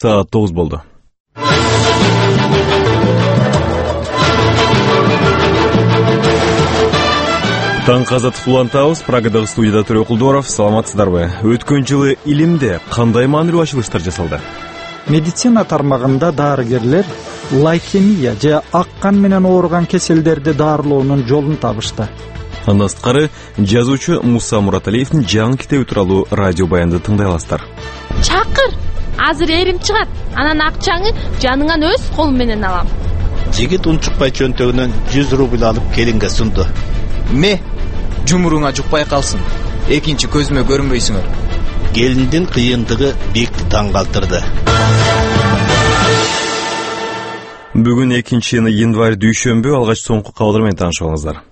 Saat 9 болду. Таң казат улантабыз. Прагадагы студияда Төрө Кулдоров. Саламатсыздарбы? Өткөн жылы илимде кандай маанилүү ачылыштар жасалды? Медицина тармагында дарыгерлер лейкемия же ак кан менен ооруган кеселдерди дарылоонун жолун табышты. Андан сырткары жазуучу Муса Мураталиевдин жаңы китеби тууралуу радио баянды тыңдай аласыздар. Чакыр, азыр эрим чыгат. Анан акчаңы жаныңан өз колум менен алам. Жигит унчукпай чөнтөгүнөн 100 рубль алып келинге сунду. Жумуруңа жукпай калсын. Экинчи көзүмө көрүнбөйсүңөр. Келиндин кыйындыгы бекти таң калтырды. Бүгүн 2 январь дүйшөмбү, алгач соңку кабарлар менен таанышып алыңыздар.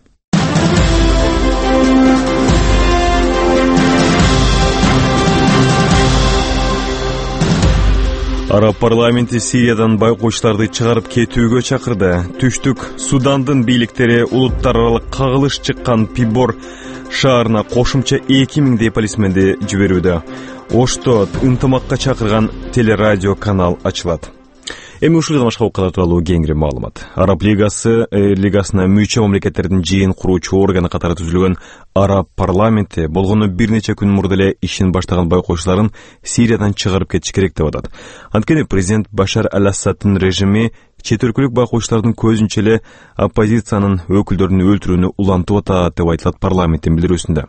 Араб парламенти Сириядан байкоочуларды чыгарып кетүүгө чакырды. Түштүк Судандын бийликтери улуттар аралык кагылыш чыккан Пибор шаарына кошумча 2000 полисменди жиберүүдө. Ошто ынтымакка чакырган телерадио канал ачылат. Эми ушул жана башка окуялар тууралуу кеңири маалымат. Араб лигасына мүчө мамлекеттердин жыйын куруучу органы катары түзүлгөн Араб парламенти болгону бир нече күн мурда эле ишин баштаган байкоочуларын Сириядан чыгарып кетиш керек деп атат. Анткени президент Башар аль-Асаддын режими чет өлкөлүк байкоочулардын көзүнчө эле оппозициянын өкүлдөрүн өлтүрүүнү улантып атат деп айтылат парламенттин билдирүүсүндө.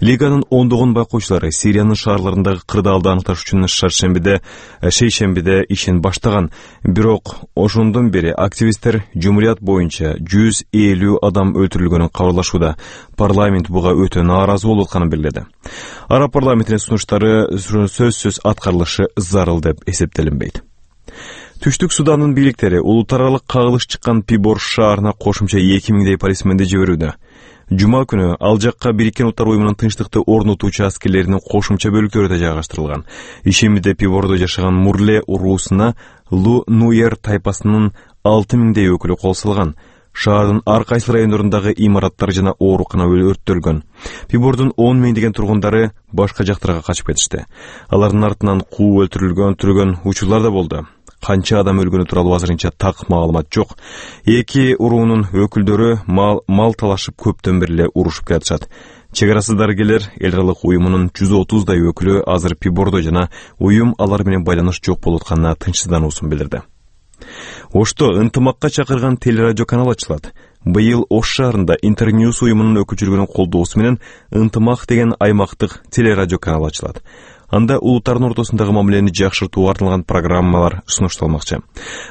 Лиганын ондогон байкоочулары Сириянын шаарларындагы кырдаалды аныкташ үчүн шейшембиде ишин баштаган. Бирок ошондон бери активисттер жумурият боюнча 150 адам өлтүрүлгөнүн кабарлашууда. Парламент буга өтө нааразы болуп атканын белгиледи. Араб парламентинин сунуштары сөзсүз аткарылышы зарыл деп эсептелинбейт. Түштүк Судандын бийликтери улуттар аралык кагылыш чыккан Пибор шаарына кошумча 2000 полисменди жиберүүдө. Жума күнү ал жакка Бириккен Улуттар уюмунун тынчтыкты орнотуучу аскерлеринин кошумча бөлүктөрү да жайгаштырылган. Ишембиде Пибордо жашаган Мурле уруусуна Лу Нуер тайпасынын 6000 өкүлү кол салган. Шаардын ар кайсы райондорундагы имараттар жана оорукана өрттөлгөн. Пибордун 10 миңдеген тургундары башка жактарга качып кетишти. Алардын артынан куу өлтүрүлгөн учурлар да болду. Канча адам өлгөнү тууралуу азырынча так маалымат жок. Эки уруунун өкүлдөрү мал талашып көптөн бери эле урушуп келатышат. Чек арасы дарыгерлер эл аралык уюмунун 130 өкүлү азыр Пибордо жана уюм алар менен байланыш жок болуп атканына тынчсыздануусун билдирди. Ошто ынтымакка чакырган телерадио канал ачылат. Быйыл Ош шаарында Интерньюс уюмунун өкүлчүлүгүнүн колдоосу менен ынтымак деген аймактык телерадио канал ачылат. Анда улуттардын ортосундагы мамилени жакшыртууга арналган программалар сунушталмакчы.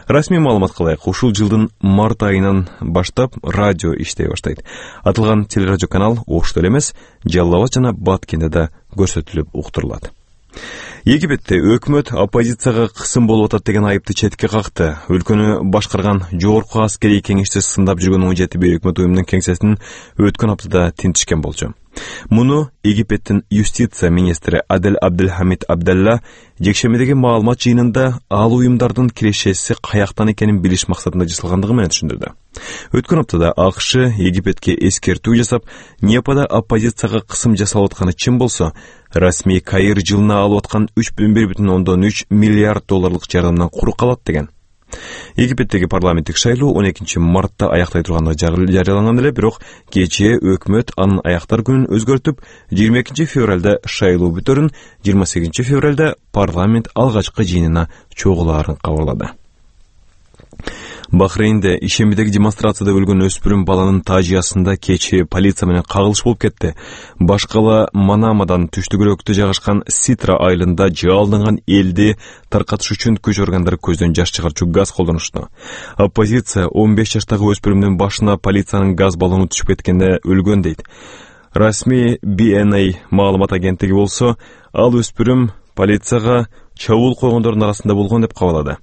Расмий маалыматка ылайык, ушул жылдын март айынан баштап радио иштей баштайт. Атылган телерадио канал Ошто эле эмес, Жалал Абад жана Баткенде да көрсөтүлүп уктурулат. Египетте өкмөт оппозицияга кысым болуп атат деген айыпты четке какты. Өлкөнү башкарган жогорку аскерий кеңешти сындап жүргөн 17 өкмөт уюмунун кеңсесин өткөн аптада тинтишкен болчу. Муну Египеттин юстиция министри Адель Абдельхамид Абдалла жекшембидеги маалымат жыйынында ал уюмдардын кирешеси каяктан экенин билиш максатында жасалгандыгы менен түшүндүрдү. Өткөн аптада АКШ Египетке эскертүү жасап, Непада оппозицияга кысым жасалып атканы чын болсо, расмий Каир жылына алып аткан 3,3 миллиард долларлык жардамдан куру калат деген. Египеттеги парламенттик шайлоо 12 мартта аяктай турганы жарыяланган эле, бирок кечээ өкмөт анын аяктар күнүн өзгөртүп, 22 февралда шайлоо бүтөрүн, 28 февралда парламент алгачкы жыйынына чогулаарын кабарлады. Бахрейнде ишембидеги демонстрацияда өлгөн өспүрүм баланын тажыясында кечээ полиция менен кагылыш болуп кетти. Башкала Манамадан түштүгүрөктө жайгашкан Ситра айылында жалданган элди таркатыш үчүн күч органдары көздөн жаш чыгарчу газ колдонушту. Оппозиция 15 жаштагы өспүрүмдүн башына полициянын газ баллону түшүп кеткенде өлгөн дейт. Расмий BNA маалымат агенттиги болсо, ал өспүрүм полицияга чабуул койгондордун арасында болгон деп кабарлады.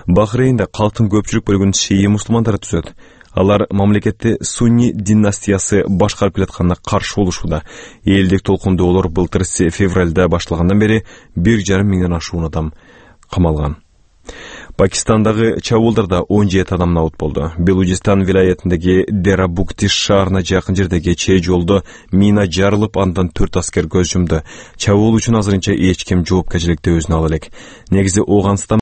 Бахрейнде калктын көпчүлүк бөлүгүн шии мусулмандары түзөт. Алар мамлекетти сунни династиясы башкарып келатканына каршы болушууда. Элдик толкундоолор былтыр февралда башталгандан бери 1,5 миңден ашуун адам камалган. Пакистандагы чабуулдарда 17 адам набут болду. Белужистан вилаятындагы Дерабукти шаарына жакын жердеги кечээ жолдо мина жарылып, андан 4 аскер көз жумду. Чабуул үчүн азырынча эч ким жоопкерчиликти өзүнө ала элек. Негизи Оганстан